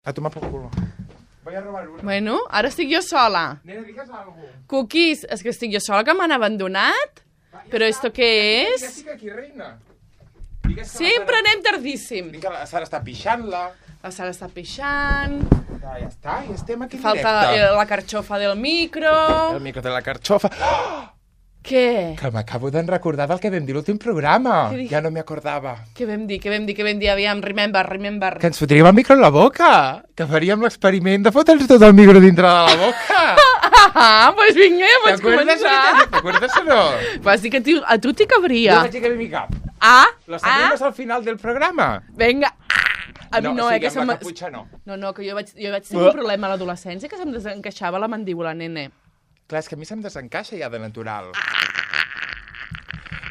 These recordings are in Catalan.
A tomar por culo. Voy a robar una. Bueno, ara estic jo sola. Nena, digues algo. Cookies, és que estic jo sola, que m'han abandonat. Però esto què és? Ja estic aquí, reina. Digues que Sempre anem tardíssim. Vinga, la Sara està pixant-la. La Sara està pixant. Ja està, ja estem aquí en Falta directe. la carxofa del micro. El micro de la carxofa. Oh! Què? Que m'acabo de recordar del que vam dir l'últim programa. Què dic? Ja no m'hi acordava. Què vam dir? Aviam, remember. Que ens fotríem el micro en la boca. Que faríem l'experiment de fotre'ns tot el micro dintre de la boca. Ah, doncs vinga, ja pots començar. T'acuerdes o no? Vas dir que a tu t'hi Jo cabria. vaig dir que ve mi cap. Lo sabemos al final del programa. Vinga. A mi no, o sigui, que amb la caputxa no. No, que jo vaig tenir un problema a l'adolescència que se'm desencaixava la mandíbula, nene. Clar, és que a mi se'm desencaixa ja de natural.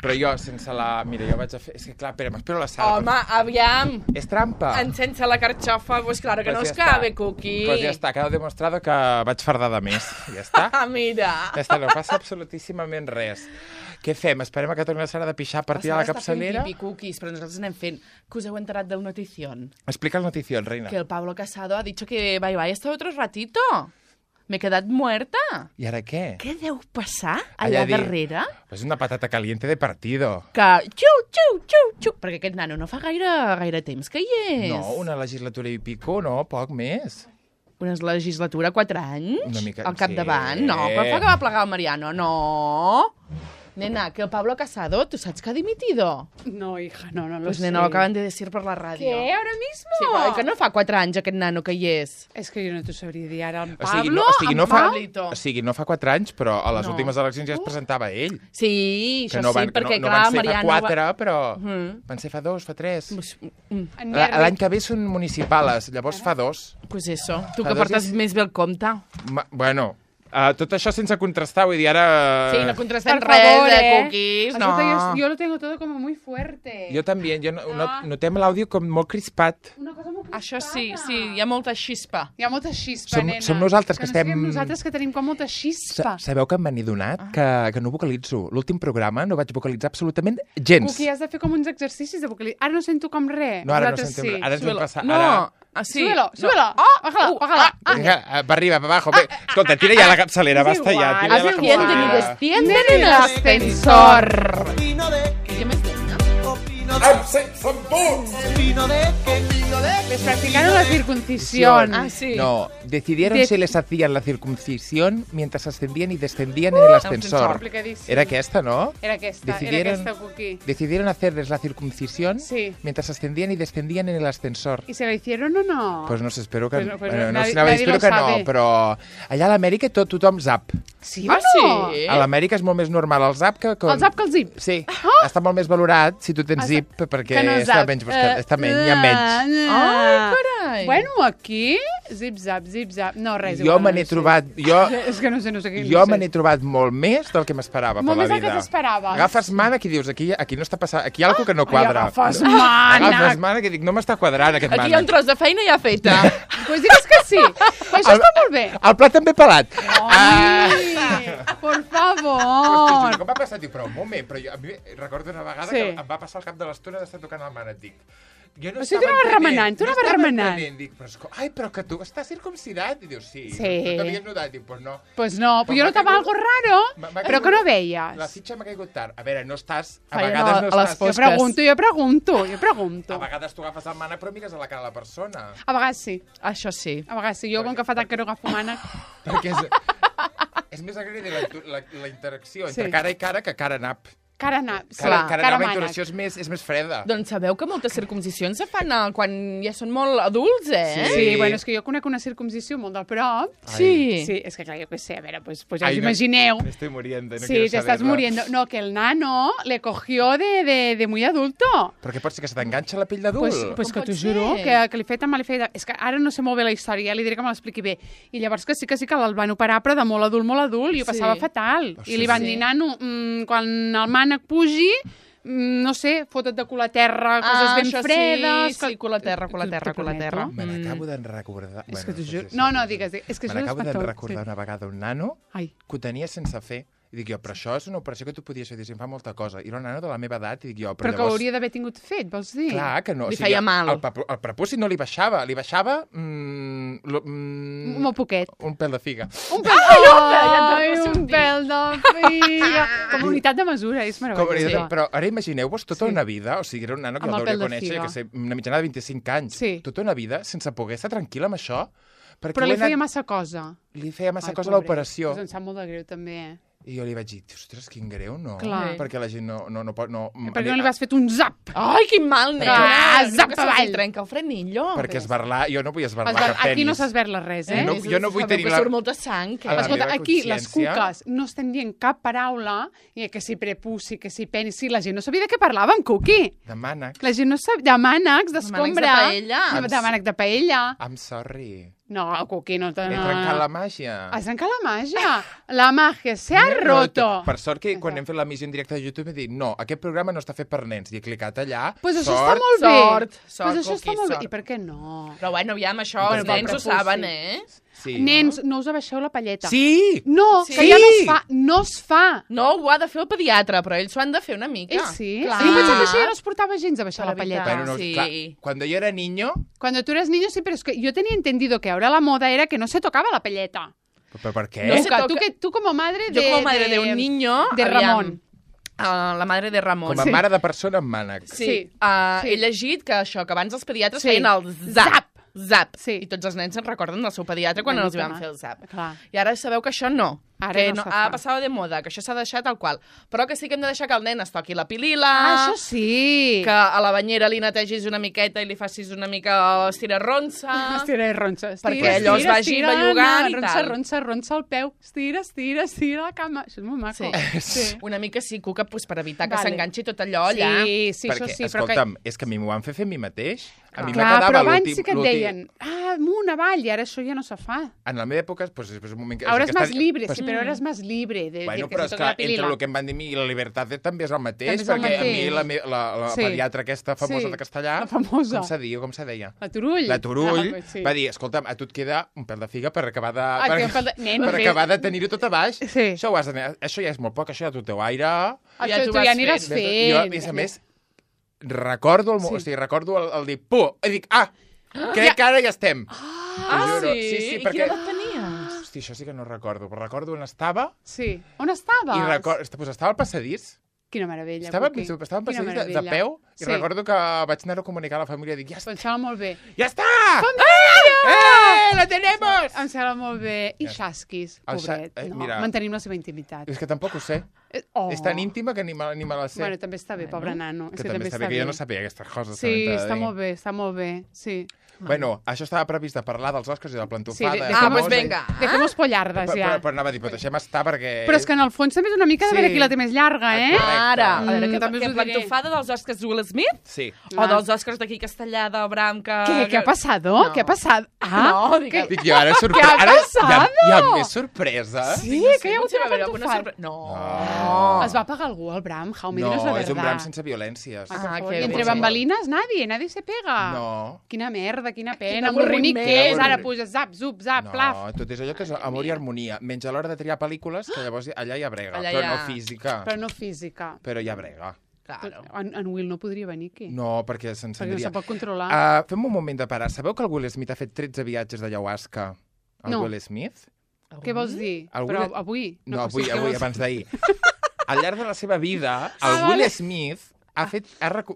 Però jo, sense la... Mira, jo vaig a fer... És que clar, espera, m'espero la Sara. Home, aviam. És trampa. Sense la carxofa, pues claro que no Pues es ja cabe, està. Cookie. Pues ja està, queda demostrado que vaig fardar de més. Ja està. Ah, mira. Ja està, no passa absolutíssimament res. Què fem? Esperem a que torni la Sara de pixar a partir de la capçalera? Està fent pipi, Cookies, però nosaltres anem fent. Que us heu enterat del notición. Explica el notición, reina. Que el Pablo Casado ha dicho que bye hasta otro ratito. Me he quedat muerta. I ara què? Què deu passar allà darrere? Pues una patata caliente de partido. Que xiu, perquè aquest nano no fa gaire temps que hi és. No, una legislatura i pico, no, poc més. Una legislatura, 4 anys? Una mica, al capdavant? sí. No, però fa que va plegar el Mariano. No. Nena, que el Pablo Casado, ¿tú sabes que ha dimitido? No, hija, no lo Pues sé. nena, lo acaban de decir por la radio. ¿Qué? ¿Ahora mismo? Sí, però que no fa 4 anys aquest nano que hi és. És que jo no t'ho sabria dir ara. En O sigui, Pablo, no fa, Pablito. o sigui, no fa 4 anys, però a les No. últimes eleccions ja es presentava ell. Sí, Que això no van, sí, perquè no, no clar, van ser Mariano... fa 4, però Mhm. van ser fa 2, fa 3. en L'any que ve són municipals, llavors fa 2. Pues eso, tu Fa que dos portes i- més bé el compte. Bueno, tot això sense contrastar, vull dir, ara... Sí, no contrastem Por res favor, de cookies, no. Escolta, yo lo tengo todo como muy fuerte. Jo també, notem l'àudio com molt crispat. Una cosa molt Això sí, hi ha molta xispa. Hi ha molta xispa, Som- nena. som nosaltres que no estem- siguem nosaltres que tenim com molta xispa. Sabeu que m'he adonat que no vocalitzo. L'últim programa no vaig vocalitzar absolutament gens. Cuqui, has de fer com uns exercicis de vocalització. Ara no sento com res. No, ara no Nosaltres sentem sí. Ara ens vam Súbelo. passar. No, Ara... así. Súbelo, súbelo. Bájala. Vinga, va arriba, va abajo. Bé, escolta, tira ja la capçalera, basta ja. Tira ja la Asciende ni capçalera. desciende en el ascensor. ¿Qué me estem? Som tots! Les practicaron la circuncisión. Ah, sí. No, decidieron De- si les hacían la circuncisión mientras ascendían y descendían en el ascensor. complicadísimo. Era aquesta, ¿no? Era aquesta, Decidieron- Cuqui. Decidieron hacerles la circuncisión Sí. mientras ascendían y descendían en el ascensor. ¿Y se la hicieron o no? Pues no sé, espero que... Pues no, pues bueno, no nadie- sé, anava a dir, nadie espero que lo no, sabe. però allà a l'Amèrica tothom zap. sí, Ah, no? sí? A l'Amèrica és molt més normal el zap que... El zap que el zip. Sí, està molt més valorat si tu tens zip, perquè que no està zap. menys, està menys, hi ha menys. Ai, carai. Bueno, aquí, zip, zap. No, res. Jo igual, me no n'he sé. trobat... És que no sé què. Jo me n'he trobat molt més del que m'esperava per Molt la més del vida. que t'esperaves. Agafes mana i dius, aquí no està passant, aquí hi ha alguna que no quadra. agafes mana. Agafes mana que dic, no m'està quadrant aquest Aquí hi ha mana. un tros de feina ja feta. Pues digues que sí. Això està molt bé. El plat també pelat. Ai, por Però favor. com va passar? Dic, però un moment, però jo, a mi recordo una vegada Sí. que em va passar al cap de l'estona d'estar tocant el mànec. Dic, jo no O sigui, estava tu anaves entenent, remenant, tu anaves estava remenant. entenent. Dic, però que tu estàs circumcidat? I dius, sí. Sí. No t'havies notat? Dic, pues no. Pues no, Pues jo m'ha notava caigut- algo raro, m'ha però que no veies. La fitxa m'ha caigut tard. A veure, no estàs... A Feien vegades a no les estàs... Jo fosques. pregunto. A vegades tu agafes el mànec però mires a la cara de la persona. A vegades sí, Això sí. a vegades sí. Jo, com que fa tant que no agafo mànec... Perquè és més agradi la interacció entre Sí. cara i cara que cara-nap. Cara nap, sí, Cara cara nap, la mànec. interacció és més freda. Doncs sabeu que moltes circumcisions se fan quan ja són molt adults, eh? Sí, bueno, és que jo conec una circuncisió molt del prop. Sí. Sí, és que clar, jo què sé, a veure, pues ja Ai, us no, imagineu. Me estoy muriendo, no Sí, quiero te estás saberlo. muriendo. No, que el nano le cogió de muy adulto. Però què pot ser, que se t'enganxa la pell d'adult? Pues Com que t'ho pot juro, ser? que li feia tan mal, li feia... És que ara no sé molt bé la història, ja li diré que me l'expliqui bé. I llavors que sí que el van operar, però de molt adult, i ho Sí. passava fatal. Ostres, I li van sí. dir, nano, quan el mànec pugi, no sé, fota't de cul a terra, coses ben això fredes... Sí, cul a terra. T'ho Mm. Me n'acabo de recordar... És que t'ho pues juro... sí, No, sí, no, sí. digues, és que Me això és n'acabo de espantós. recordar una vegada un nano Ai, que ho tenia sense fer. I dic jo, però això és una operació que tu podies fer, diguéssim, fa molta cosa. I era una nana de la meva edat, i dic jo, Però que llavors... hauria d'haver tingut fet, vols dir? Clar que no. Li feia mal. El prepuci no li baixava. Li baixava... Molt poquet. un pèl de figa. Un pèl, un pèl de figa. Com a unitat de mesura, és meravellós. Però ara imagineu-vos tota una vida, o sigui, era una nana que Amb la el hauria pèl de conèixer, figa. que sé, una mitjana de 25 anys. Sí. Tota una vida sense poder estar tranquil·la amb això. Però li feia massa cosa. Li feia massa cosa pobret. l'operació. Pues em sap molt de greu, també, I jo li vaig dir, ostres, quin greu, no? Clar. Perquè la gent no pot... Perquè no li vas fet un zap. Ai, quin mal, nena. Zap Que se'ls avall. trenca el frenillo. Perquè esbarlar... Jo no vull esbarlar cap penis. Aquí no s'esberla res, eh? Jo no vull tenir Que la... surt molta sang. A la Escolta, meva aquí les consciència- cuques no estem dient cap paraula, i que si prepuci, que si penis, sí, la gent no sabia de què parlàvem, Cuqui. De mànecs. La gent no sabia... De mànecs, d'escombra. De paella. De mànec de paella. I'm sorry. No, Cuqui, no... He trencat la màgia. Has trencat la màgia. La màgia se ha roto. Per sort que quan hem fet la missió en directe de YouTube he dit, no, aquest programa no està fet per nens. I he clicat allà. Pues això sort. està molt bé. Sort, Pues això Cuqui, està molt bé. sort. I per què no? Però bueno, aviam, això Bueno, els nens ho prepuci. saben, eh? Sí. Nens, no us abaixeu la palleta. Sí! No, Sí. que ja no es fa. No es fa. No, ho ha de fer el pediatre, però ells ho han de fer una mica. Ells sí. Clar. A mi em pensava que això ja no es portava gens a baixar Per la palleta. evitar. Bueno, no, Sí. clar, cuando yo era niño... Cuando tú eres niño, sí, pero es que yo tenía entendido que ahora la moda era que no se tocaba la palleta. ¿Pero por qué? No sé. Cuca, toca- tú como madre Yo de... como madre de un niño... De aviam, Ramon. la madre de Ramon. Com a mare de persona amb mànecs. Sí. Sí. He llegit que això, que abans els pediatres Sí. feien el zap. Zap. Sí. I tots els nens se'n recorden del seu pediatre quan Una els mica van més. fer el zap. Clar. I ara sabeu que això no. Ara que no se ha fa. passat de moda, que això s'ha deixat tal qual. Però que sí que hem de deixar que el nen es toqui la pilila, Això sí. que a la banyera li netegis una miqueta i li facis una mica estirarronsa. Estira i ronsa. Perquè allò es vagi bellugant i ronsa, tal. ronsa el peu. Estira la cama. Això és molt maco. Sí. Una mica sí, Cuca, pues, per evitar que Vale. s'enganxi tot allò allà. Sí, sí, Perquè, això sí. escolta'm, és que a mi m'ho van fer a mi mateix. A mi me Clar, quedava però abans l'últim... sí que et deien amunt, avall, i ara això ja no se fa. En la meva època, pues, és un moment que... Ahora es que más estan- libre, pues, sí, però ara és més libre de Bueno, dir que però se és toca que la pilila. entre el que em van dir a mi i la Libertad també és el mateix, També és el perquè a mi mateix. la Sí. pediatra aquesta famosa Sí, de castellà, la famosa. com se diu, com se deia? La Turull. La Turull Sí. va dir, escolta'm, a tu et queda un pèl de figa per acabar de... Ah, té un pèl de- Nen, per però- acabar de tenir-ho tot a baix. Sí. Això, això ja és molt poc, això ja tu teu aire... Ja Això t'ho tu vas ja aniràs fent. fent. Jo, a més a més, recordo el, o sigui, recordo el dir, puh, i dic, crec que ara ja estem. Ah, T'ho juro. sí? Sí, I perquè... quina edat tenies? Hosti, això sí que no recordo, però recordo on estava Sí. On estaves? i pues estava al passadís. Quina meravella, Estava Cuqui. en Quina passadís de meravella. peu i Sí. recordo que vaig anar a comunicar a la família i dic, ja està! Pensava molt bé. ¡Ya está! ¡Eh! ¡La tenemos! Em sembla molt bé. I Ja. Xasquis, El pobret. Xa- No, mira. mantenim la seva intimitat. És que tampoc ho sé. Oh. És tan íntima que ni me la sé. Bueno, també està bé, pobre nano. que també està bé, que jo no sabia aquestes coses. Sí, també t'he de està dir. molt bé, està molt bé, sí. Bueno, això estava previst de parlar dels Oscars i de la plantofada. pues venga. Dejemos pollardes, ja. Però anava a dir, però deixem estar perquè... Però és que en el fons també és una mica de Sí. veure qui la té més llarga, eh? Correcte. Ara, a veure, també que us ho diré. plantofada dels Oscars Will Smith? Sí. O dels Oscars d'aquí castellà del Bram que... ¿Qué ha pasado? No. ¿Qué ha pasado? No, digue- Dic jo, ara Què ha ara passat? hi ha més sorpresa. Sí, que hi ha hagut Potser va una haver alguna plantofada. No. Es va pagar algú, el Bram, Jau, me digas la No, verdad. és un Bram sense violències. Ay, por Ah, favor. qué Y entre bé. bambalinas nadie se pega. No. Quina merda, quina pena. Quin Molt bonic avorriment. que és. Ara puja zap, zup, zap, plaf. No, tot és allò que és amor i harmonia. Menys a l'hora de triar pel·lícules, que llavors allà hi ha brega. Allà Però hi ha- no física. Però no física. Però hi ha brega. Claro. En Will no podria venir aquí. No, perquè Perquè no s'encendria. se pot controlar. Fem un moment de parar. Sabeu que el Will Smith ha fet 13 viatges d'ayahuasca? El No. Will Smith? Què vols dir? El Però Will- avui? No, pot ser. avui, abans d'ahir. Al llarg de la seva vida, el Ah, Will vale. Smith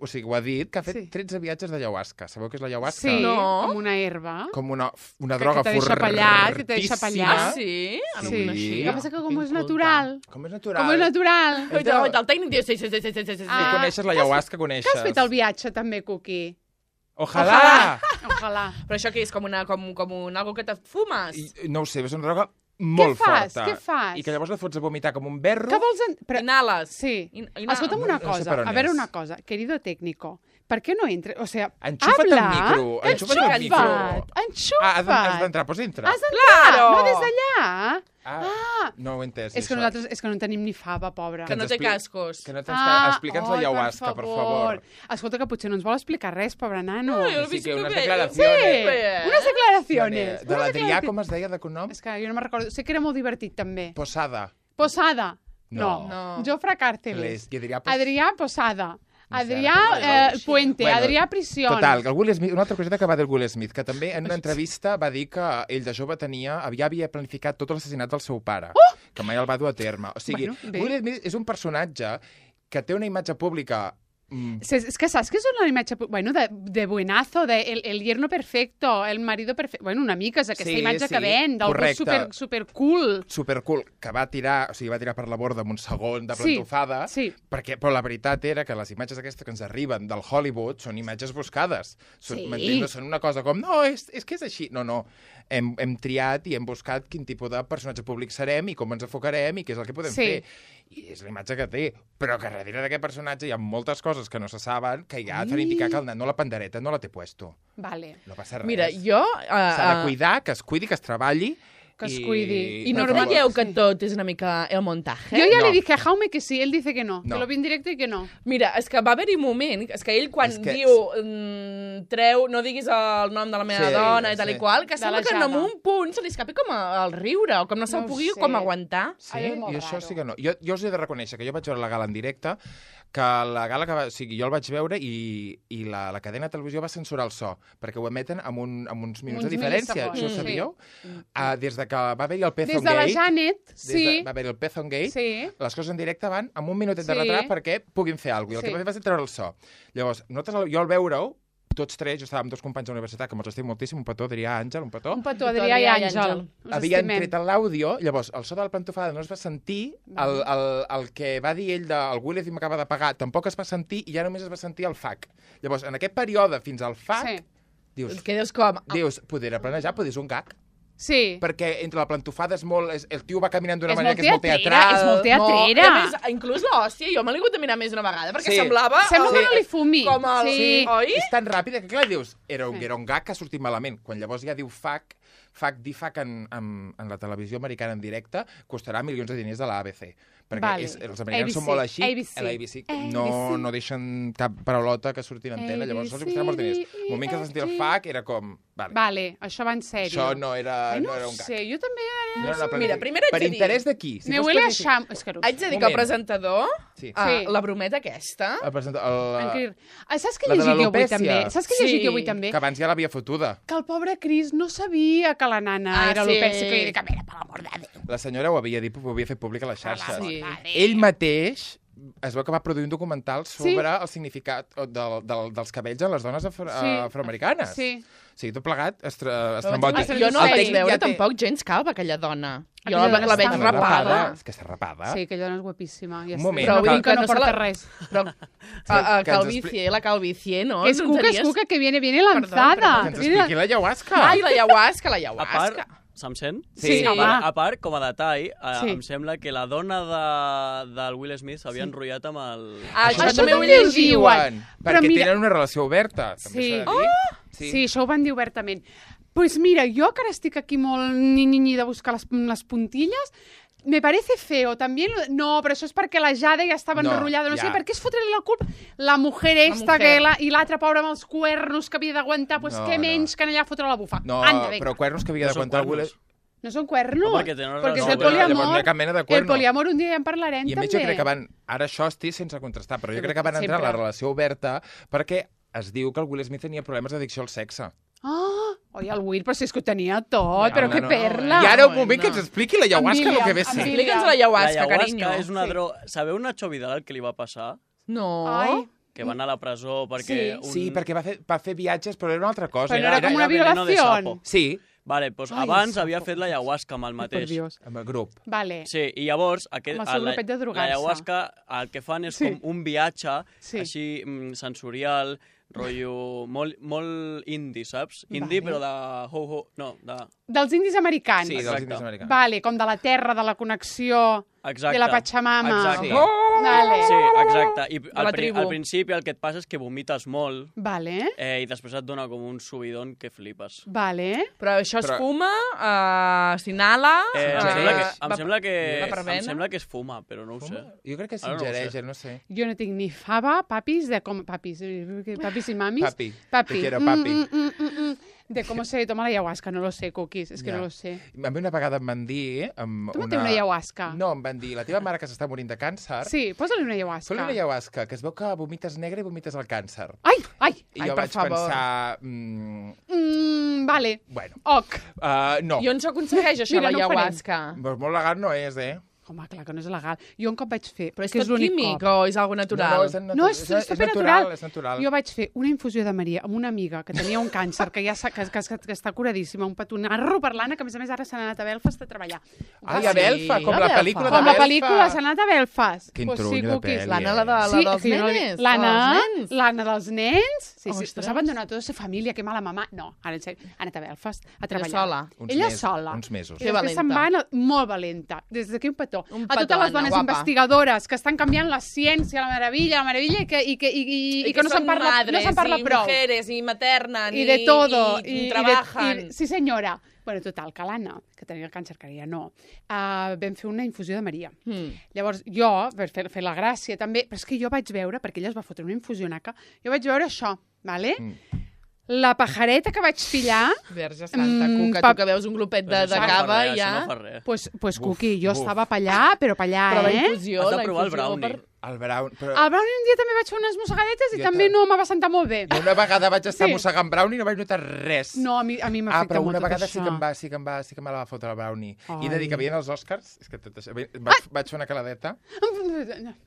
o sigui, ho ha dit, que ha fet Sí. 13 viatges d'ayahuasca. Sabeu què és l'ayahuasca? Sí, No. com una herba. Com una droga que te deixa pallat, que te deixa fortíssima. pallat. Ah, sí? Ah, no Sí. ho coneixia. El que passa que com és Inculta. natural. Com és natural. Com és natural. El tècnic diu sí. Tu Ah. coneixes l'ayahuasca, coneixes. Que has fet el viatge també, Cuqui? Ojalà! Ojalà. Però això què és? Com algo que te fumes? No ho sé, és una droga molt fas? forta. Què fas? I que llavors la fots a vomitar com un berro. Què vols... Però... Inhales. Sí. Inhales. Escolta'm una No sé cosa, per on a veure és. una cosa. Querido técnico, ¿por qué no entres? O sea, Enxufa't habla. el micro, enxufa't el micro. Enxufa't. Has d'entrar, doncs entra. Has d'entrar, Claro. no des d'allà. No ho he entès, És que això. nosaltres és que no en tenim ni fava, pobra. Que no té cascos. Que no tens Explica'ns l'ayahuasca, per favor. Escolta, que potser no ens vol explicar res, pobre nano. Ai, el Sí, que visito unes bé. declaracions. Bé. Unes declaraciones. De l'Adrià, com es deia de cognom? És que jo no me'n recordo. Sé que era molt divertit, també. Posada. Posada. No. Jofre Càrceles. I Adrià Posada. Adrià Puente. Bueno, Adrià Prisión. Total, el Will Smith, una altra coseta que va dir el Will Smith, que també en una entrevista va dir que ell de jove havia planificat tot l'assassinat del seu pare, que mai el va dur a terme. O sigui, Will Smith és un personatge que té una imatge pública... Es que saps que és una imatge... Bueno, de buenazo, de el yerno perfecto, el marido perfecto... Bueno, una mica és aquesta imatge que ven, d'algú supercool. Supercool, que va tirar per la borda amb un segon de plantofada, però la veritat era que les imatges aquestes que ens arriben del Hollywood són imatges buscades. No són una cosa com, no, és que és així. No. Hem triat i hem buscat quin tipus de personatge públic serem i com ens enfocarem i què és el que podem fer. I és la imatge que té. Però que darrere d'aquest personatge hi ha moltes coses que no se saben, que ja fan indicar que el nano la pandereta no la té puesto. Vale. No passa res. Mira, jo... S'ha de cuidar, que es cuidi, que es treballi. Que es cuidi. I no digueu que tot és una mica el montaje? Jo ja li dije a Jaume que sí, él dice que no. Que lo vi en directe i que no. Mira, és que va haver-hi un moment, és que ell quan diu treu, no diguis el nom de la meva dona i tal i qual, que sembla que en un punt se li escapi com el riure, o com no se'l pugui com aguantar. Sí, i això sí que no. Jo us he de reconèixer que jo vaig veure la gala en directe, que la gala que jo el vaig veure i la cadena de televisió va censurar el so, perquè ho emeten amb uns minuts de diferència. Això ho sabíeu? Des de que va haver-hi el Pezon Gate... Des de la Janet, sí. Va haver-hi el Pezon Gate, les coses en directe van amb un minutet de retard perquè puguin fer alguna cosa. I el que va fer va ser treure el so. Llavors, jo al veure-ho, tots tres, jo estava amb dos companys de la universitat, que me'ls estim moltíssim, un petó, Adrià, Àngel, un petó. Un petó, Adrià i Àngel. Havien tret l'àudio, llavors el so de la plantofada no es va sentir, el que va dir ell del Will Smith m'acaba de pagar tampoc es va sentir i ja només es va sentir el FAC. Llavors, en aquest període fins al FAC, dius, poder planejar, poder és un gag. Sí. Perquè entre la plantofada és molt... El tio va caminant d'una manera que és molt teatral. És molt teatrera. No, inclús l'hòstia, jo me l'he hagut de mirar més d'una vegada, perquè semblava... Sembla que no li fumi. Com el... Oi? És tan ràpida que, clar, dius, era un gag que ha sortit malament. Quan llavors ja diu dir FAC en la televisió americana en directe, costarà milions de diners a la ABC. Perquè els americans són molt així. ABC. No deixen cap paraulota que surti en antena, llavors els costarà molts diners. El moment que es va sentir el FAC era com... Vale, això va en sèrio. Això no era un gag. No sé, jo també... Mira, primer haig de dir... Per interès de qui? Me huele a xam... Haig de dir que el presentador, la brometa aquesta... Saps què he llegit jo avui també? Saps què he llegit jo avui també? Que abans ja l'havia fotuda. Que el pobre Cris no sabia que la nana era l'Opècia, que li dic, a veure, per l'amor de Déu. La senyora ho havia dit, ho havia fet públic a les xarxes. Ell mateix es veu que va produir un documental sobre el significat dels cabells en les dones afroamericanes. Sí. O sigui, tot plegat estrambòtic. Jo no la vaig veure tampoc gens calva, aquella dona. Jo la veig rapada. És que està rapada. Sí, aquella dona és guapíssima. Un moment. Però vull dir que no porta res. Però la calvície, no? És cuca, que viene lanzada. Que ens expliqui l'ayahuasca. Ai, l'ayahuasca. Se'm sent? Sí. A part, com a detall, em sembla que la dona del Will Smith s'havia enrotllat amb el... Això també ho diuen. Perquè tenen una relació oberta. Sí, això ho van dir obertament. Pues mira, jo que ara estic aquí molt ni de buscar les puntilles, me parece feo. También no, però això és perquè la Jade ja estava enrotllada. No sé, per què es fotre la culpa? La mujer esta i l'altra pobra amb els cuernos que havia d'aguantar, pues què menys que anar allà a fotre la bufa. No, però cuernos que havia d'aguantar... No són cuernos, perquè és el poliamor. El poliamor un dia ja en parlarem, també. I a més jo crec que van... Ara això estic sense contrastar, però jo crec que van entrar en la relació oberta perquè es diu que el Will Smith tenia problemes d'addicció al sexe. Oi, el Will, però si és que ho tenia tot, però que perla. I ara un moment que ens expliqui l'ayahuasca el que ve ser. Explica'ns l'ayahuasca, carinyo. L'ayahuasca és una droga... Sabeu Nacho Vidal el que li va passar? No. Que va anar a la presó perquè... Sí, perquè va fer viatges, però era una altra cosa. Però era com una violació. Sí. Vale, doncs abans havia fet l'ayahuasca amb el mateix. Amb el grup. Vale. Sí, i llavors l'ayahuasca el que fan és com un viatge així sensorial, rotllo molt indi, saps? Indi, però de ho-ho, no, de... Dels indis americans. Sí, dels indis americans. Vale, com de la terra, de la connexió, de la Pachamama. Exacte. Vale. Sí, exacte. I al principi el que et passa és que vomites molt. Vale. I després et dona com un subidon que flipes. Vale. Però això es fuma, s'inhala... Em sembla que es fuma, però no ho sé. Jo crec que s'ingereix, no sé. Jo no tinc ni fava, papis i mamis. Papi. Te quiero, papi. de cómo se toma la ayahuasca, no lo sé, Cookies, és que no lo sé. A mi una vegada em van dir... Tu no té una ayahuasca? No, em van dir, la teva mare que s'està morint de càncer... Sí, posa-li una ayahuasca. Posa-li una ayahuasca, que es veu que vomites negre i vomites el càncer. Ai! I jo vaig pensar... Vale. Bueno. Ok. No. I on s'aconsegueix això, la ayahuasca? Molt legal no és, Home, clar que no és legal. Jo un cop vaig fer... Però és tot químic o és algo natural? No, és supernatural. És natural. Jo vaig fer una infusió de Maria amb una amiga que tenia un càncer, que ja que està curadíssima, un petonarro per l'Anna, que a més ara s'ha anat a Belfast a treballar. Ai, a Belfast, com la pel·lícula de Belfast. Com la pel·lícula, s'ha anat a Belfast. Quin trunyo de pel·li. L'Anna, la dels nenes? L'Anna dels nens? Sí, pues ha abandonat tota la família, que mala mamà. No, ara en sèrio, ha anat a Belfast a treballar. Ella sola. Uns mesos. I després se'n va molt valenta. Des d'aquí un petó. A totes les dones investigadores que estan canviant la ciència, la meravella, i que no se'n parla prou. I mujeres, i materna, i de todo. I trabajan. Sí, senyora. Bueno, total, que l'Anna, que tenia el càncer, que ara ja no, vam fer una infusió de Maria. Llavors, jo, per fer la gràcia també, però és que jo vaig veure, perquè ella es va fotre una infusionaca, jo vaig veure això, ¿vale? La pajareta que vaig pillar... Verge santa, Cuca, tu que veus un glopet de cava i ja... No fa res. Pues Cuqui, jo estava pa allà, però pa allà, Però la infusió... Has de provar el brownie. El brownie un dia també vaig fer unes mossegadetes i també no me va sentar molt bé. Una vegada vaig estar mossegant brownie i no vaig notar res. No, a mi m'afecta molt tot això. Però una vegada sí que me la va fotre el brownie. I de dir que havien els Oscars, és que tot això, vaig fer una caladeta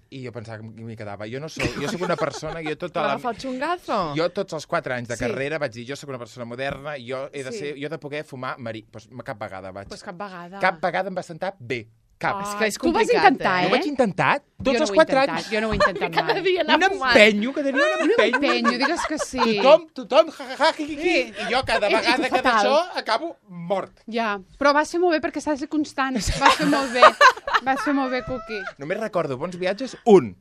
i jo pensava que m'hi quedava. Jo soc una persona... Va agafar el xungazo? Jo tots els 4 anys de carrera vaig dir, jo soc una persona moderna, jo he de poder fumar marí. Doncs cap vegada vaig. Doncs cap vegada. Cap vegada em va sentar bé. Cap. És que és tu complicat, vas intentar, Jo ho vaig intentar tots els 4 anys. Jo no ho he intentat mai. Cada dia anar fumant. Que tenia un empenyo. Digues que sí. Tothom, i jo cada vegada que d'això acabo mort. Ja, però va ser molt bé perquè s'ha de ser constant. Va ser molt bé, Cuqui. Només recordo bons viatges, un.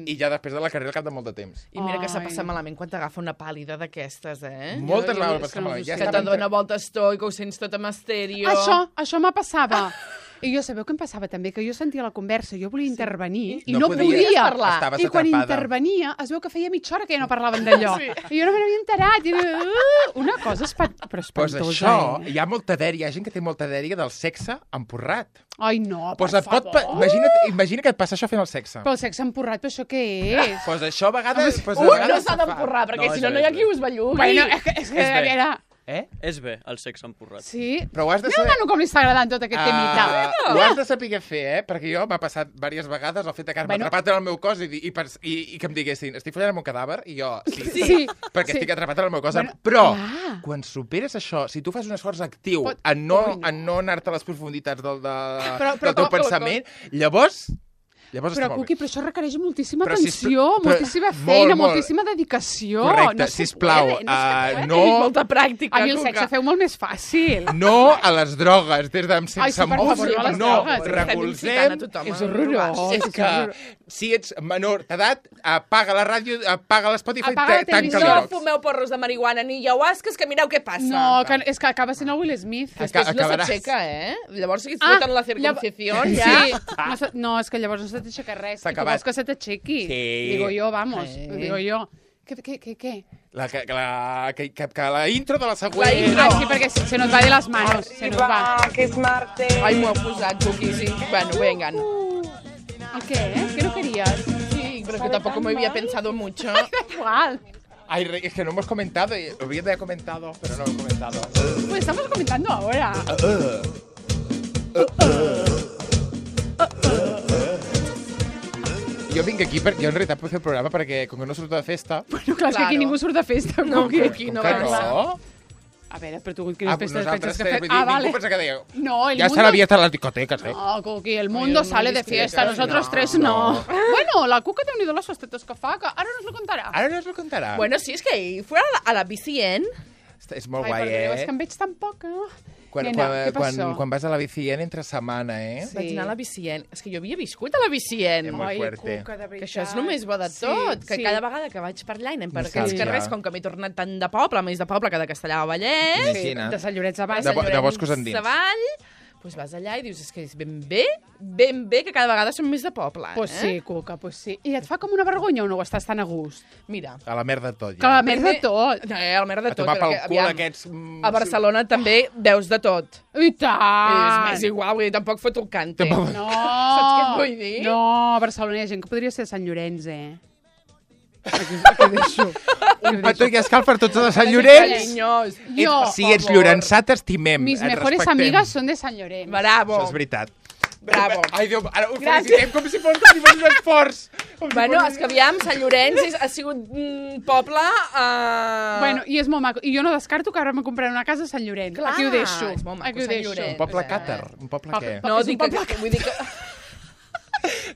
I ja després de la carrera al cap de molt de temps. I mira que s'ha passat malament quan t'agafa una pàl·lida d'aquestes, Moltes vegades passat malament. Que te dona voltes tot i que ho sents tot amb estèreo. Això me passava. I jo sabeu què em passava també? Que jo sentia la conversa, jo volia intervenir i no podia parlar. I quan intervenia es veu que feia mitja hora que ja no parlaven d'allò. I jo no me n'havia enterat. Una cosa espantosa. Pues això, hi ha molta dèria, hi ha gent que té molta dèria del sexe empurrat. Ai, no, per favor. Imagina que et passa això fent el sexe. Però el sexe empurrat, però això què és? Pues això a vegades... no s'ha d'empurrar, perquè si no hi ha qui us bellugui. Bueno, és que era... És bé, el sexe empurrat. Sí? Però ho has de saber... Mira, nano, com li està agradant tot aquest temita. Ho has de saber fer, perquè jo m'ha passat diverses vegades el fet de quedar-me atrapat en el meu cos i que em diguessin, estic follant el meu cadàver, i jo, sí, perquè estic atrapat en el meu cos. Però, quan superes això, si tu fas un esforç actiu en no anar-te a les profunditats del teu pensament, llavors... Però, Cuqui, però això requereix moltíssima atenció, moltíssima feina, moltíssima dedicació. Correcte, sisplau. No... Molta pràctica, a mi el sexe feu molt més fàcil. No a les drogues, des de sense música. No, recolzem. És horrorós. És que si ets menor d'edat, apaga la ràdio, apaga l'Spotify, tanca l'Xbox. No fumeu porros de marihuana ni ayahuasques, que mireu què passa. No, és que acaba sent el Will Smith. Després no s'aixeca, Llavors si et foten la circuncisión, ja... No, és que llavors no se t'aixeca res. I tu vols que se t'aixequi. Digo yo, vamos. Digo yo. Què? Que la intro de la següent... Sí, perquè se nos va de las manos. Se nos va. Que es martes. Ai, m'ho he posat, Cuqui, sí. Bueno, vengan. ¿Qué? ¿Qué no querías? Sí, pero que tampoco me había pensado mucho. Igual. Ay, es que no hemos comentado, lo había comentado, pero no lo he comentado. Pues estamos comentando ahora. Jo vinc aquí, jo en realitat puc fer el programa perquè com que no surto de festa... Bueno, clar, és que aquí ningú surt de festa. No, Cuqui, no va no? A veure, però tu quines festes penses que fem? Vale. Ningú pensa que diu... No, ya está abierta la discoteca, ¿sí? No, Cuqui, el mundo sale de fiesta, nosotros tres no. Bueno, la Cuca té unido los festetos que fa, que ara nos lo contarà. Ara nos lo contarà. Bueno, sí, és que ahir fue a la BCN. És molt guai, és que em veig tan poc, Quan vas a la BCN entre setmana, Sí. Vaig anar a la BCN. És que jo havia viscut a la BCN. Ai, Cuca, de veritat. Que això és només bo de tot. Que cada vegada que vaig per allà i anem per aquells carrers, com que m'he tornat tant de poble, més de poble que de Castellà de Vallès. Sí, de Sant Llorenç Savall. De Boscos Endins. Savall. Doncs vas allà i dius, és que és ben bé que cada vegada som més de poble. Pues sí, Cuca, pues sí. I et fa com una vergonya o no estàs tan a gust? Mira. A la merda de tot, ja. Que a la merda de tot. No, a la merda de tot. A tomar pel cul aquests... A Barcelona també veus de tot. I tant! És igual, vull dir, tampoc foto el cante. No! Saps què et vull dir? No, a Barcelona hi ha gent que podria ser de Sant Llorenç, Aquí deixo. Un petó i escal per tots de Sant Llorenç. Si ets llorençà, t'estimem. Mis mejores amigas són de Sant Llorenç. Bravo. Això és veritat. Bravo. Ai, Déu, ara ho felicitem com si fos un esforç. Bueno, és que aviam, Sant Llorenç ha sigut un poble... Bueno, i és molt maco. I jo no descarto que ara me compraré una casa a Sant Llorenç. Clar, aquí ho deixo. És molt maco, Sant Llorenç. Un poble càtar. Un poble què? No, vull dir que...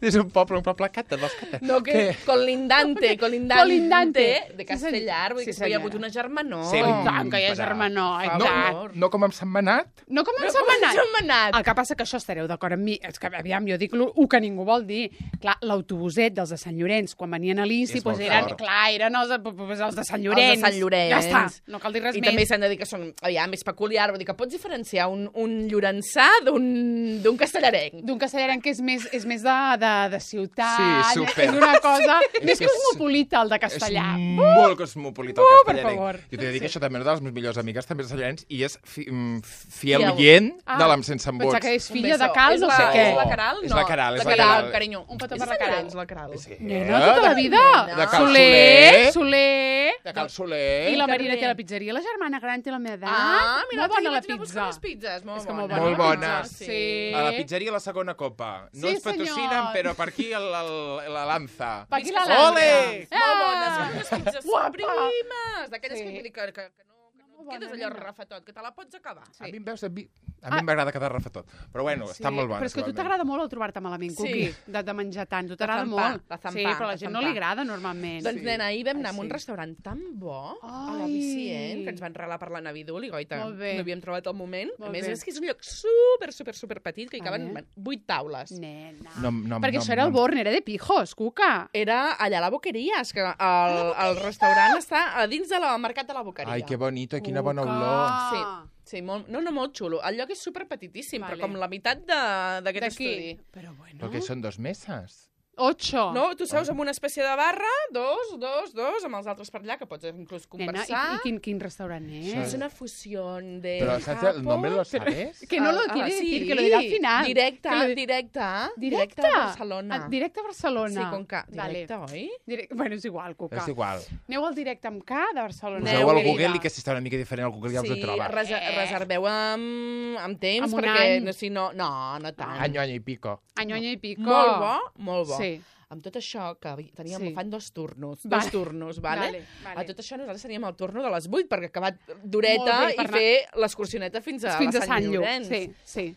És un poble càtar, dels càtars. No, que colindante de Castellar, vull dir que hi ha hagut una germanor. Sí, tant que hi ha germanor. No com amb Sentmenat? No com amb Sentmenat. El que passa que això estareu d'acord amb mi. És que, aviam, jo dic el que ningú vol dir. Clar, l'autobuset dels de Sant Llorenç, quan venien a l'INSI, eren els de Sant Llorenç. Els de Sant Llorenç. Ja està, no cal dir res més. I també s'han de dir que són, aviam, és peculiar. Vull dir que pots diferenciar un llorençà d'un castellarenc. D'un castellarenc que és més de ciutat. Sí, super. És una cosa més cosmopolita, el de Castellà. És molt cosmopolita, el castellarenc. Per favor. Jo t'he de dir que això també una de les meves millors amigues també és de Sant Llorenç i és fiel oient de l'Am Sense Embuts. Pensar que és filla de Cal, no sé què. És la Caral? És la Caral, és la Caral, carinyo. Un petó per la Caral. És la Caral. Nena, tota la vida. De Cal Soler. De Cal Soler. I la Marina té la pizzeria. La germana gran té la meva edat. Ah, mira, molt bona la pizza. Les pizzas, molt bones. Sí. A la pizzeria La Segona Copa. No ens patrocinen, però per aquí la lanza. Per aquí la lanza. Ole! Molt bones, les pizzas primes. D'aquelles que no et quedes allò refetot, que te la pots acabar. A mi m'agrada quedar refetot. Però bueno, està molt bona. Però és que a tu t'agrada molt el trobar-te malament, Cuqui, de menjar tant. Tu t'agrada molt. Sí, però a la gent no li agrada normalment. Doncs, nena, ahir vam anar a un restaurant tan bo, a la Vicient, que ens van regalar per la Navidul, i goita, no havíem trobat el moment. A més, és que és un lloc super petit, que hi caben 8 taules. Nena. Perquè això era el Born, era de pijos, Cuca. Era allà a la Boqueria, és que el restaurant està a dins del mercat de la Boqueria. Ai, que bonito, quina bona olor. Sí, molt xulo. El lloc és superpetitíssim, però com la meitat d'aquest estudi. Però bueno... Perquè són 2 meses. 8. No, tu seus amb una espècie de barra, 2, amb els altres per allà, que pots inclús conversar. Nena, i quin restaurant és? Es una fusión de... Però saps el nombre lo sabes? Que no lo quiere decir, que lo dirá al final. Directe a Barcelona. Directe a Barcelona. Sí, con K. Directe, oi? Bueno, és igual, Cuca. És igual. Aneu al directe amb K de Barcelona. Poseu al Google i que si està una mica diferent al Google ja us ho trobarà. Sí, reserveu amb temps, perquè si no tant. Año i pico. Año i pico. Molt bo. Sí. Amb tot això, que fan 2 turnos, vale? A tot això nosaltres teníem el turno de les 8, perquè ha acabat d'horeta i fer l'excursioneta fins a Sant Llorenç. Sí.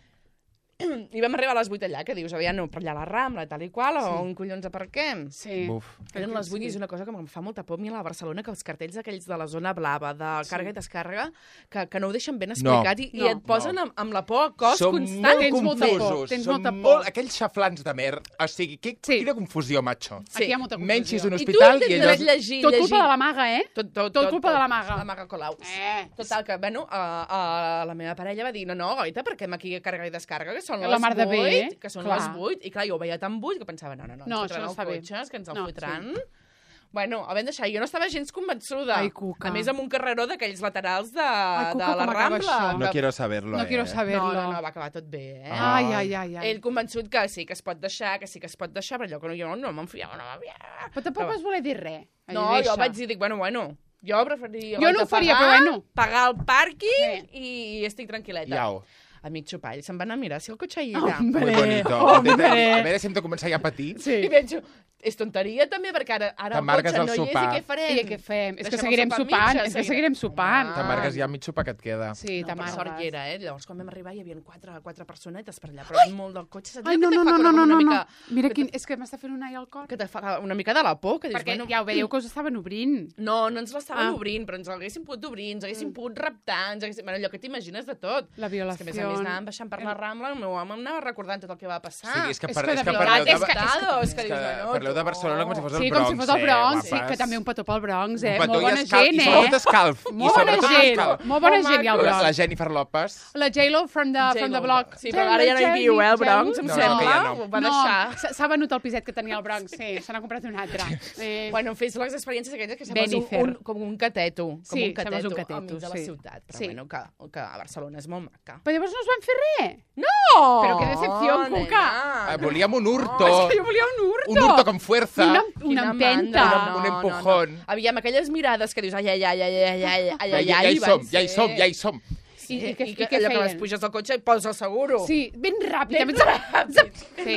I vam arribar a les 8 allà, que dius, aviam, no, per allà a la Rambla, tal i qual, o on collons aparquem? Sí. Eren les 8 i és una cosa que em fa molta por a mi a la Barcelona, que els cartells aquells de la zona blava, de càrrega i descàrrega, que no ho deixen ben explicat i et posen amb la por a cos constant. Són molt confusos. Tens molta por. Aquells xaflans de mer, o sigui, quina confusió, macho. Aquí hi ha molta confusió. Menys és un hospital i allò... Tot culpa de la maga, Tot culpa de la maga. La maga Colau. Total, que, bueno, la meva parella va dir, no, goita, perquè aquí càrrega i descàrrega, que són les 8, que són les 8, i clar, jo ho veia tan buit que pensava, no, això no està bé. Cotxes, que ens el fotran. Bueno, ho vam deixar. Jo no estava gens convençuda. Ai, Cuca. A més, amb un carreró d'aquells laterals de la Rambla. No quiero saberlo, No quiero saberlo. No, va acabar tot bé, Ai. Ell convençut que sí que es pot deixar, però allò que jo no m'enfiava, Però tampoc vas voler dir res. No, jo vaig dir, bueno, jo preferiria... Jo no ho faria, però bueno. Pagar el pàrquing i estic tranquil·leta. Iau. A mig xopall, se'n va anar a mirar si el cotxe hi era. Muy bonito. A veure si hem de començar ja a patir. I penso, és tonteria també, perquè ara el cotxe no hi és i què farem? I què fem? És que seguirem sopant. T'amargues ja mig sopar que et queda. Sí, per sort hi era, Llavors, quan vam arribar, hi havia 4 personetes per allà, però molt del cotxe. Ai, no. Mira, és que m'està fent un ai al cor. Que te fa una mica de la por. Perquè ja ho veieu que us estaven obrint. No ens l'estaven obrint, però ens l'haguessin pogut obrir, ens haguessin pogut raptar, allò que t'imagines de tot. La violació. A més anàvem baixant per la Rambla, el meu home m'anava recordant tot el que va passar. Sí, és que per allò de Barcelona com si fos el Bronx. Sí, com si fos el Bronx, sí, que també un petó pel Bronx, Molt bona gent, I sobretot escalf. Molt bona gent, hi ha al Bronx. La Jennifer Lopez. La J-Lo from the block. Sí, però ara ja no hi viu, el Bronx, em sembla. Ho va deixar. S'ha venut el piset que tenia al Bronx, sí, se n'ha comprat un altre. Bueno, fes les experiències aquelles que sembles com un cateto. Sí, sembles un cateto, enmig de la ciutat. Però bueno, que a Barcelona és molt maca. Però llavors no us van fer res? No! Però que decepció, Cuca. Volíem un hurto. És que jo volia un hurto. Un hurto con fuerza. Una empenta. Un empujón. Aviam, aquelles mirades que dius, ai, ja hi som. I què allò que vas puges al cotxe i poses el seguro. Sí, ben ràpid. Sí.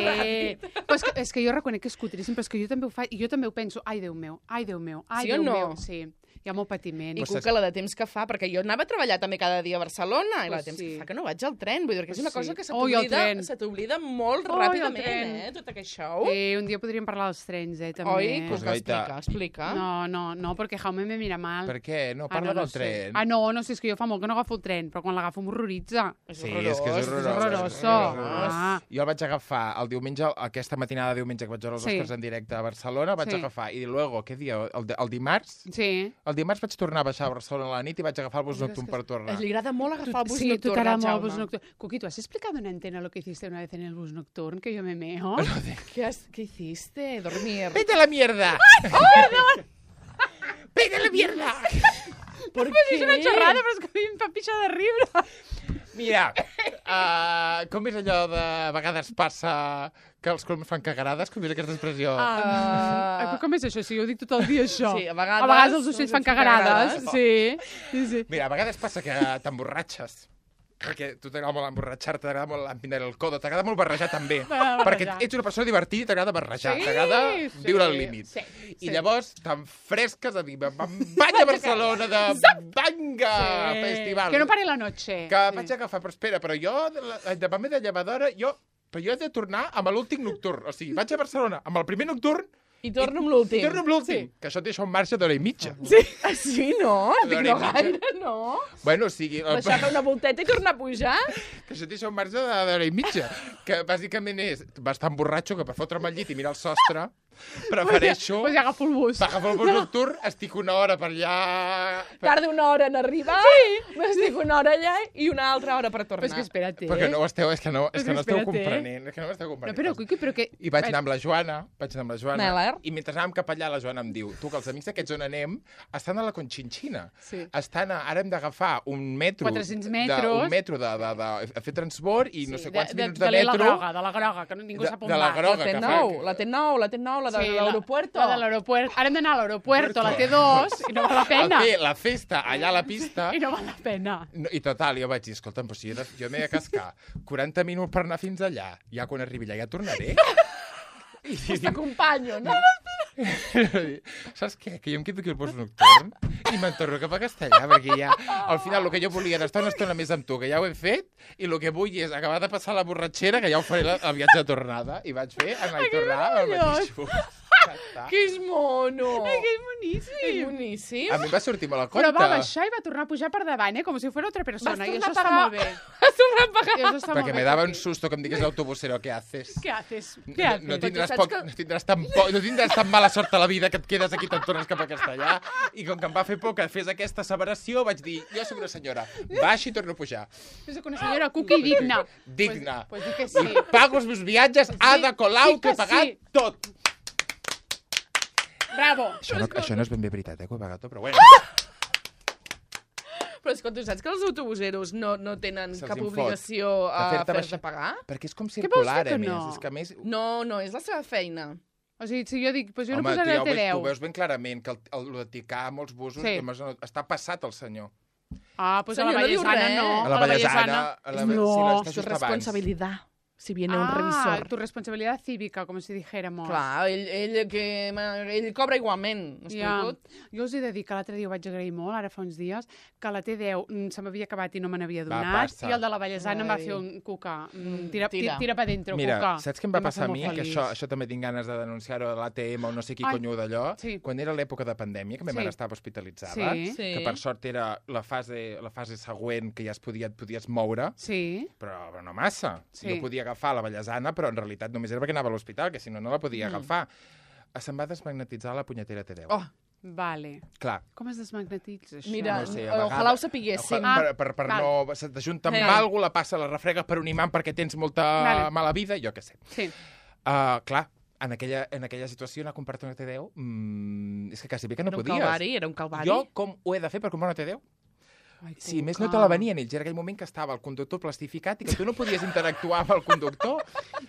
És que jo reconec que és cutríssim, però és que jo també ho faig, i jo també ho penso, ai, Déu meu. Sí o no? Sí. Hi ha molt patiment. I Cuca, la de temps que fa, perquè jo anava a treballar també cada dia a Barcelona, i la de temps que fa que no vaig al tren, vull dir que és una cosa que se t'oblida molt ràpidament, tot aquest show. Sí, un dia podríem parlar dels trens, també. Oi? Pues explica. No, perquè Jaume me mira mal. Per què? No, parla del tren. No, és que jo fa molt que no agafo el tren, però quan l'agafo m'horroritza. Sí, és que és horrorós. Jo el vaig agafar el diumenge, aquesta matinada de diumenge que vaig veure els Oscars en directe a Barcelona, vaig agafar, i luego, què dia? El dimarts? Sí. El dimarts vaig tornar a baixar a Barcelona a la nit i vaig agafar el bus nocturn per tornar. Li agrada molt agafar el bus nocturn, Sí, tu t'agrada molt el bus nocturn. Cuqui, ¿tú has explicado en antena lo que hiciste una vez en el bus nocturn? Que yo me meo. ¿Qué hiciste? Dormir. ¡Vete a la mierda! ¡Perdón! ¡Vete a la mierda! ¿Por qué? És una xerrada, però és que a mi em fa pixar de riure. Mira, com és allò de a vegades passa que els coloms fan cagarades? Com és aquesta expressió? Però com és això? Si jo ho dic tot el dia, això. Sí, a vegades els ocells fan cagarades. Sí. Mira, a vegades passa que t'emborratxes. Perquè tu t'agrada molt emborratxar-te, t'agrada molt empinar el codo, t'agrada molt barrejar també. Perquè ets una persona divertida i t'agrada barrejar, t'agrada viure al límit. I llavors t'enfresques a dir, me'n vaig a Barcelona de Banga Festival. Que no pare la noche. Que vaig agafar, però espera, però jo, davant de llevadora, però jo he de tornar amb l'últim nocturn. O sigui, vaig a Barcelona amb el primer nocturn i torno amb l'últim. I torno amb l'últim. Que això et deixa un marge d'hora i mitja. Sí, no? Dic, no gaire, no. Bueno, o sigui... Deixar una volteta i tornar a pujar? Que això et deixa un marge d'hora i mitja. Que bàsicament és bastant borratxo, que per fotre'm al llit i mirar el sostre, prefereixo... Pues ja agafo el bus. Agafo el bus nocturn, estic una hora per allà... Tarda una hora en arribar, m'estic una hora allà i una altra hora per tornar. Però és que espera't, Perquè no ho esteu, és que no esteu comprenent. És que no ho esteu comprenent. Però que... I vaig anar amb la Joana, i mentre anàvem cap allà, la Joana em diu, tu, que els amics d'aquests on anem estan a la Conchinchina. Ara hem d'agafar un metro... 400 metres. Un metro de fer transbord i no sé quants minuts de metro... De la groga, que ningú sap on va. De la groga, que fa... La T9, la de l'aeropuerto. La de l'aeropuerto. Ara hem d'anar a l'aeropuerto, a la T2, i no val la pena. La festa allà a la pista... I no val la pena. I total, jo vaig dir, escolta'm, però si jo m'he de cascar 40 minuts per anar fins allà, ja quan arribi allà ja tornaré. Pues t'acompanyo, no? Saps què? Que jo em quedo aquí al bus nocturn i me'n torno cap a Castellà, perquè ja, al final, el que jo volia era estar una estona més amb tu, que ja ho he fet, i el que vull és acabar de passar la borratxera, que ja ho faré el viatge de tornada, i vaig fer anar i tornar al mateix bus. Que és mono! Ai, que és boníssim! És boníssim. A mi va sortir molt a compte. Però va baixar i va tornar a pujar per davant, com si fos otra persona. I això està molt bé. Vas tornar a pagar. Perquè me dava un susto que em digués l'autobusero, ¿qué haces? ¿Qué haces? No tindràs tan mala sort a la vida que et quedes aquí, te'n tornes cap a Castellà. I com que em va fer por que fes aquesta asseveració, vaig dir, jo soc una senyora, baixi i torno a pujar. Jo soc una senyora cuqui digna. Digna. Pues di que sí. I pago els meus viatges, Ada Colau, que he pagat tot. Bravo. Això no és ben bé veritat, que ho he pagat tot, però bueno. Però escolta, saps que els autobuseros no tenen cap obligació a fer-te pagar? Perquè és com circular, a més. No, és la seva feina. O sigui, si jo dic, doncs jo no posaré el T10. Tu veus ben clarament que el de ticar amb els busos està passat el senyor. Doncs a la Vallesana no. A la Vallesana. No, és responsabilitat. Si viene un revisor. Tu responsabilitat cívica, com si dijéramos. Clar, ell cobra igualment. Jo us he de dir que l'altre dia ho vaig agrair molt, ara fa uns dies, que la T10 se m'havia acabat i no me n'havia donat, i el de la Vallesana em va fer un cuca. Tira pa dentro, mira, cuca. Mira, saps què em va passar a mi? Que això també tinc ganes de denunciar-ho de l'ATM o no sé qui conyo d'allò. Quan era l'època de pandèmia, que ma mare estava hospitalitzada, que per sort era la fase següent que ja et podies moure, però no massa. Jo podia agafar la Vallesana, però en realitat només era perquè anava a l'hospital, que si no, no la podia agafar. se'm va desmagnetitzar la punyetera T10. Oh, vale. Clar. Com es desmagnetitza, això? Mira, ojalà ho sapiguéssim. Per no... Se t'ajunta amb algú, la passa, la refregues per un imant perquè tens molta mala vida, jo què sé. Sí. Clar, en aquella situació anar a comprar-te una T10, és que quasi bé que no podies. Era un calvari. Jo com ho he de fer per comprar una T10? Si més no te la venien ells, era aquell moment que estava el conductor plastificat i que tu no podies interactuar amb el conductor.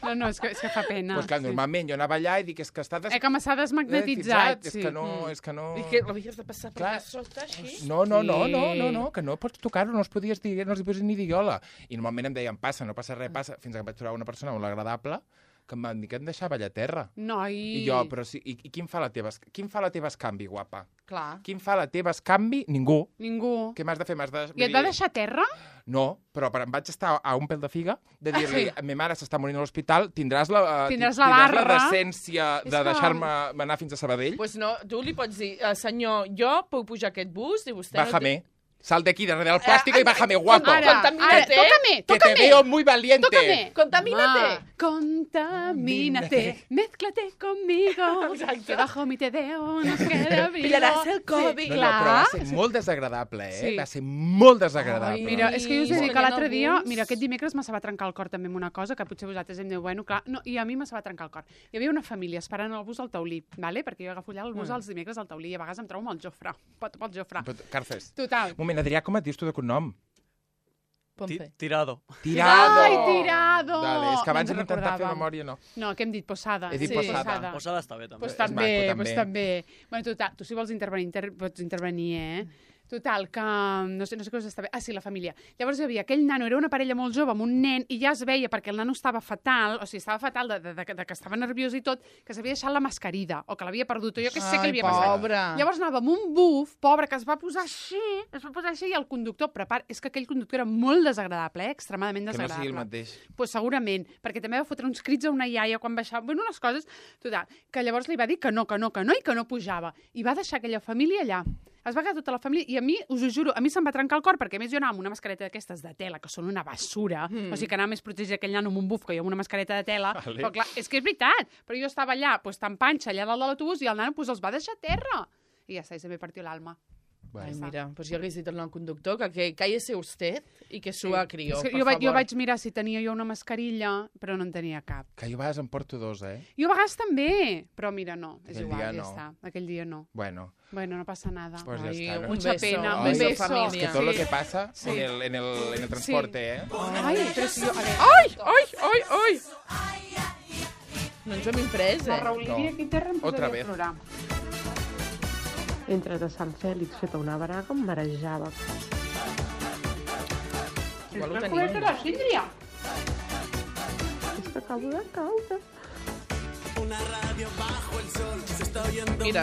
No, és que fa pena. Doncs clar, normalment jo anava allà i dic, és que està... que m'ha desmagnetitzat. És que no... I que l'havies de passar per la sota, així? No, que no pots tocar-ho, no els podies dir, no els podies ni dir hola. I normalment em deien, passa, no passa res, passa, fins que em vaig trobar una persona molt agradable que em van dir que em deixava allà a terra. I jo, però sí, i qui em fa la teva escanvi, guapa? Clar. Qui em fa la teva escanvi? Ningú. Què m'has de fer? I et va deixar a terra? No, però em vaig estar a un pèl de figa de dir-li, ma mare s'està morint a l'hospital, tindràs la decència de deixar-me anar fins a Sabadell? Doncs no, tu li pots dir, senyor, jo puc pujar aquest bus i vostè... Bájame. Sal de aquí, darrere del plástico y bájame, guapo. Contamínate. Tócame. Que te veo muy valiente. Tócame. Contamínate. Mézclate conmigo. Que bajo mi T10 nos queda brillo. Pillaràs el Covid. No, però va ser molt desagradable, Sí. Va ser molt desagradable. Mira, és que jo us he dit que l'altre dia, aquest dimecres me se va trencar el cor també amb una cosa, que potser vosaltres em diu, bueno, clar, no, i a mi me se va trencar el cor. Hi havia una família esperant el bus al Taulí, ¿vale? Perquè jo agafo allà el bus els dimecres al Taulí i a vegades em trobo amb el Jofre. Pel Jofre. Carces. Total. Moment, Adrià, com et dius tu de cognom? Tirado. Ai, Tirado! Vale, és que abans hem intentat fer memòria, no. No, que hem dit Posada. He dit Posada. Posada està bé, també. Pues també. Bueno, total, tu si vols intervenir, pots intervenir, Total, que no sé què us està bé. Ah, sí, la família. Llavors hi havia aquell nano, era una parella molt jove amb un nen, i ja es veia, perquè el nano estava fatal, o sigui, estava fatal de que estava nerviós i tot, que s'havia deixat la mascarida, o que l'havia perdut, o jo que sé què li havia passat. Llavors anava amb un buf, pobre, que es va posar així, i el conductor, és que aquell conductor era molt desagradable, extremadament desagradable. Que no sigui el mateix. Pues segurament, perquè també va fotre uns crits a una iaia quan baixava, bueno, unes coses, total, que llavors li va dir que no, i que no pujava. I va deixar aquella família allà. Es va quedar tota la família, i a mi, us ho juro, a mi se'm va trencar el cor, perquè a més jo anava amb una mascareta d'aquestes de tela, que són una basura, o sigui que anava més protegir aquell nano amb un buf que jo amb una mascareta de tela, però clar, és que és veritat, però jo estava allà, tan panxa, allà dalt de l'autobús, i el nano els va deixar a terra. I ja està, i se me partió l'alma. Ai, mira, pues jo hagués dit al conductor que cállese usted i que s'ho crió, per jo favor. vaig mirar si tenia jo una mascarilla, però no en tenia cap. Que jo a vegades em porto dos, Jo a vegades també, però mira, no, és igual, ja no. està. Aquell dia no. Bueno, no passa nada. Pues ya está, ¿no? Mucha pena, un beso, beso. familia. Es que todo lo que pasa en el transporte, Ai, però si jo... Ai! No ens hem imprès, Raulí, aquí terra em Otra posaria a plorar. Entre de Sant Fèlix feta una braga em marejava. Igual ho tenim. La Síndria. És que acabo de caure. Mira,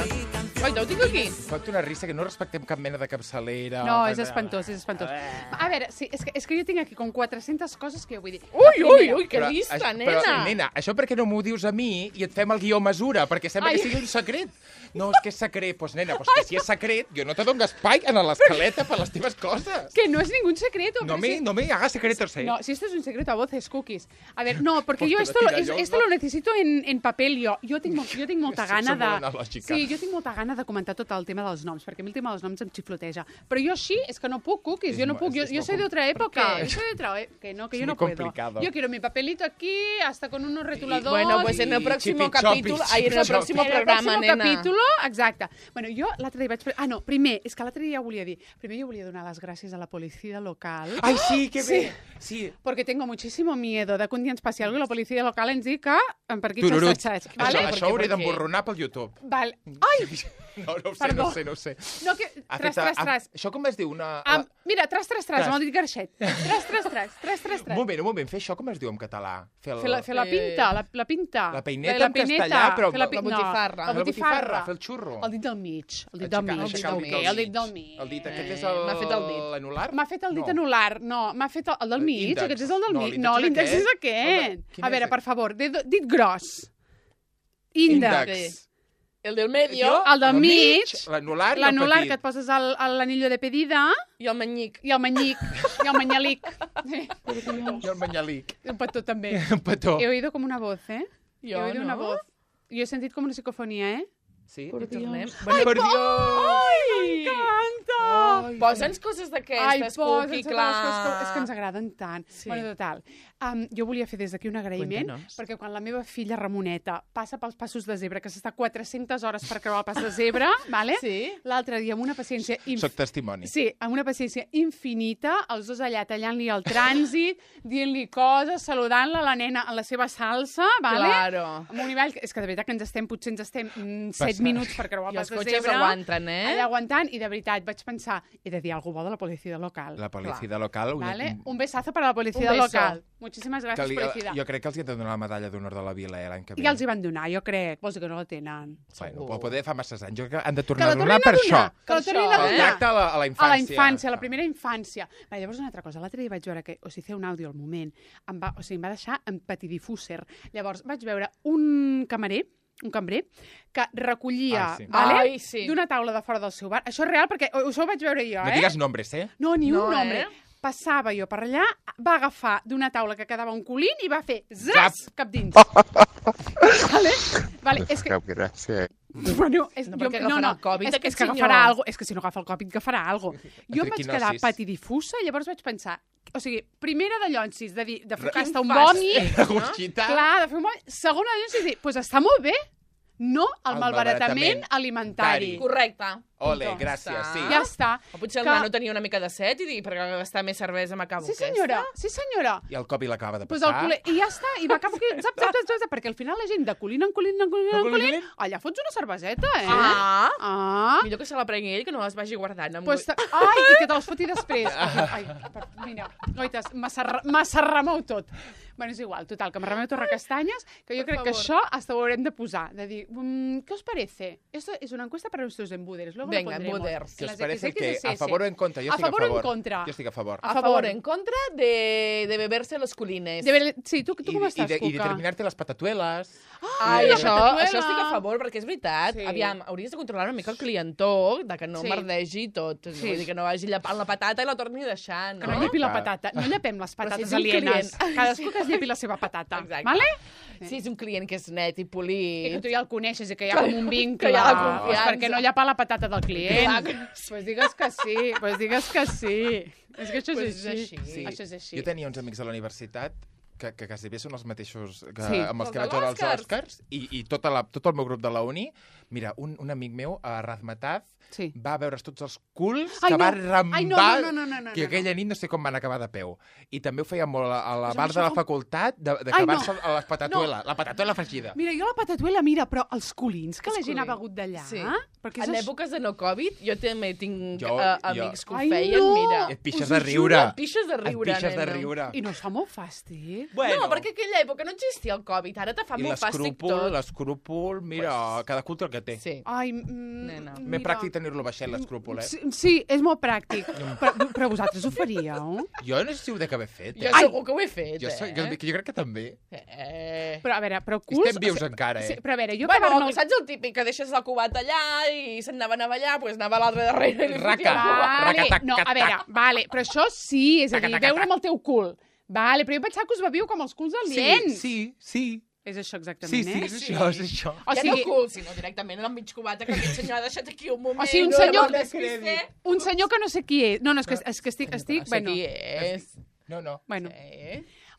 oi, ho tinc aquí. Fot una risa que no respectem cap mena de capçalera. No, és espantós, és espantós. A veure, sí, és que jo tinc aquí com 400 coses que jo vull dir. Ui, que llista, nena. Però, nena, això per què no m'ho dius a mi i et fem el guió mesura? Perquè sembla que sigui un secret. No, és que és secret. Doncs, nena, que si és secret, jo no te dono espai en l'escaleta per les teves coses. Que no és ningún secreto. No me hagas secretos, No, si esto es un secreto a voces, cookies. A ver, no, porque yo esto lo necesito en papel. Jo tinc molta gana de... Sí, jo tinc molta gana de comentar tot el tema dels noms, perquè a mi el tema dels noms em xifloteja. Però jo així, és que no puc, cookies, jo no puc. Jo soy de otra época. Que yo no puedo. Yo quiero mi papelito aquí, hasta con unos retuladores. Bueno, pues en el próximo capítulo, en el próximo programa, nena. capítulo, exacte. Bueno, jo l'altre dia vaig... Ah, no, primer, és que l'altre dia volia dir... Primer jo volia donar les gràcies a la policia local. Ai, sí, que bé. Sí. Porque tengo muchísimo miedo de que un dia ens passi algo i la policia local ens digui que per aquí xassatxats. Això ho hauré d'emborronar pel YouTube. Vale. Ai! No ho sé. No, que... Tras. Això com es diu? Mira, tras, amb el dit garxet. Tras. Un moment, fer això com es diu en català? Fer la pinta, la pinta. La peineta en castellà, però... La botifarra. La botifarra. Fer el xurro. El dit del mig. El dit del mig. El dit, aquest és l'anular? M'ha fet el dit anular. No, m'ha fet el del mig. Aquest és el del mig. No, l'índex és aquest. A veure, per favor, dit gros. Índex. El del medio. El del mig. L'anular que et poses l'anillo de pedida. I el manyic. I el manyalic. I el manyalic. Un petó també. Un petó. He oído como una voz, Jo He oído una voz. Jo he sentit com una psicofonia, Sí? Por Dios. Por Dios! Ai, m'encanta! Posa'ns coses d'aquestes, Cuqui, clar. És que ens agraden tant. Sí. Bueno, total. Jo volia fer des d'aquí un agraïment, perquè quan la meva filla Ramoneta passa pels passos de zebra, que s'està 400 hores per creuar el pas de zebra, vale? Sí. L'altre dia, amb una paciència... Soc testimoni. Sí, amb una paciència infinita, els dos allà tallant-li el trànsit, dient-li coses, saludant-la, la nena en la seva salsa, vale? Claro. Amb un nivell... És que de veritat que potser ens estem 7 minuts per creuar el pas de zebra. I els cotxes aguanten, Allà aguantant, i de veritat vaig pensar, he de dir alguna cosa bo de la policia local. La policia local... Vale? Un besazo para la policia local. Muchísimas gracias, policia. Jo crec que els hi han de donar la medalla d'honor de la vila l'any que ve. Ja els hi van donar, jo crec. Vols dir que no la tenen? Bueno, però poder fa masses anys. Jo crec que han de tornar a donar per això. Que la tornin a donar. Tracte a la infància. A la infància, a la primera infància. Va, llavors una altra cosa. L'altre dia vaig veure que, o sigui, fer un àudio al moment, em va deixar en patidifúser. Llavors vaig veure un cambrer, que recollia d'una taula de fora del seu bar. Això és real, perquè això ho vaig veure jo, No digues nombres, No, ni un nombre. Passava jo per allà, va agafar d'una taula que quedava un colín i va fer zas, cap dins. Vale, és que... Cap gràcia. Bueno, perquè agafarà el Covid, és que agafarà alguna cosa. És que si no agafa el Covid, agafarà alguna cosa. Jo em vaig quedar patidifusa, llavors vaig pensar, o sigui, primera de llonsis, de focar-se un vòmit, clar, de fer un vòmit, segona de llonsis, dir, doncs està molt bé, no el malbaratament alimentari. Correcte. Ole, gràcies, sí. Ja està. O potser el nano tenia una mica de set i dir, per gastar més cervesa m'acabo aquesta. Sí, senyora. I el Covid l'acaba de passar. I ja està, i m'acabo que... Zap, perquè al final la gent de colín en colín, allà fots una cerveseta, Millor que se la prengui ell, que no les vagi guardant. Ai, i que te les foti després. Ai, mira, oites, massa remou tot. Bueno, és igual, total, que me remeu torre castanyes, que jo crec que això hasta ho haurem de posar, de dir, ¿qué os parece? Esto es una encuesta para nuestros embúderes. Venga, embuders. ¿Qué os parece que a favor o en contra? Yo estoy a favor. ¿A favor o en contra? Yo estoy a favor. A favor o en contra de beberse los culines. Sí, tu com estàs, Cuca? I de terminar-te les patatueles. Ai, això estic a favor, perquè és veritat. Aviam, hauries de controlar una mica el clientó, de que no merdegi tot. Vull dir que no vagi llepant la patata i la torni deixant. Que no llepi la patata. No llepem les patates alienes. Cadascú que es llepi la seva patata. Vale? Si és un client que és net i polit... I que tu ja el coneixes i que hi ha com un vincle. Que hi ha la confiança. Perquè no llapa la patata del client. Pues digues que sí. És que això és així. Això és així. Jo tenia uns amics a la universitat que quasi bé són els mateixos amb els que vaig veure els Oscars i tot el meu grup de la uni. Mira, un amic meu, a Razmataz, va veure's tots els culs que va rembar que aquella nit no sé com van acabar de peu. I també ho feia molt a la bar de la facultat d'acabar-se a les patatuela, la patatuela fregida. Mira, jo la patatuela, però els culins que la gent ha begut d'allà... En èpoques de no Covid, jo també tinc amics que ho feien, mira. Et pixes de riure. Et pixes de riure. I no es fa molt fàstic? No, perquè en aquella època no existia el Covid, ara te fa molt fàstic tot. I l'escrúpol, mira, cada cul té el que té. Ai, m'he pràctic tenir-lo baixet, l'escrúpol, Sí, és molt pràctic. Però vosaltres ho faríeu? Jo no sé si ho dec haver fet. Jo segur que ho he fet, Jo crec que també. Però a veure, culs... Estem vius encara, Però a veure, jo... Bueno, saps el típic, que deixes el cubat allà i se'n anaven a ballar, doncs anava a l'altre darrere i li fotia el cubat. No, a veure, però això sí, és a dir, veure amb el teu cul. Vale, però jo pensava que us beviu com els culs aliens. Sí. És això exactament, Sí, és això. Ja no cul, sinó directament en el mig cubat, que aquest senyor ha deixat aquí un moment. O sigui, un senyor que no sé qui és. No, és que estic... No sé qui és. No. Bueno,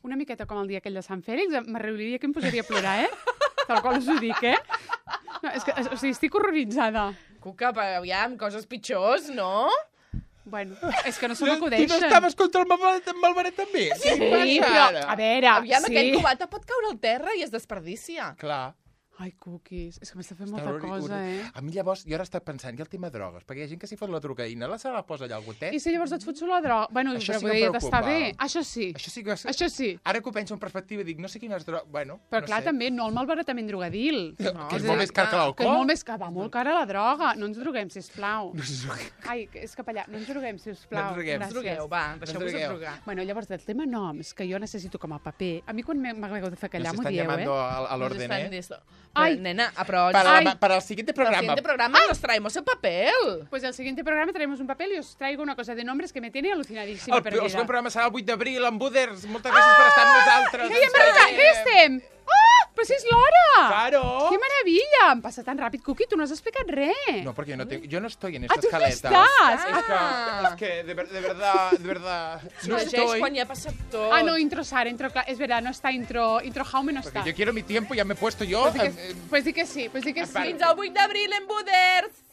una miqueta com el dia aquell de Sant Fèlix, m'arribaria que em posaria a plorar, Tal qual us ho dic, No, és que, o sigui, estic horroritzada. Cuca, aviam, coses pitjors, no? Bueno, és que no se m'acudeixen. Tu no estaves contra el malbarat també? Sí, però, a veure... Aviam, aquell cubat pot caure al terra i es desperdicia. Clar. Ai, cookies, és que m'està fent molta cosa, A mi llavors, jo ara estava pensant, i el tema drogues, perquè hi ha gent que s'hi fot la drogaïna, se la posa allà al gotet. I si llavors et fots la droga? Bueno, però podria estar bé. Això sí. Això sí. Ara que ho penso en perspectiva, dic, no sé quines drogues... Bueno, però clar, també, no el malbaratament drogadil. Que és molt més car que l'alcohol. Que és molt més car, va molt cara la droga. No ens droguem, sisplau. Ai, és cap allà. No ens droguem, sisplau. No ens drogueu, va, deixeu-vos de drogar. Bueno, llavors, del tema noms, que jo necessito com a paper, a mi quan m'hagueu de fer callar m'ho dieu, Nos están llamando al orden, Ay, nena, para el siguiente programa. Para el siguiente programa nos traemos el papel. Pues el siguiente programa traemos un papel y os traigo una cosa de nombres que me tiene alucinadísima perdida. El següent programa serà el 8 d'abril, amb Buders. Moltes gràcies per estar amb nosaltres. Que ja estem! Oh, però si és l'hora! Claro! Que meravella! em passa tan ràpid. Cuqui, tu no has explicat res. No, porque yo no estoy en esta escaleta. ¿Estás? Es que, de verdad, no estoy. Quan ja ha passat tot. Ah, no, intro Sara, intro... Es verdad, no está intro Jaume, no está. Porque yo quiero mi tiempo, ya me he puesto yo. Pues di que sí, pues di que sí. Fins al 8 d'abril en Buders.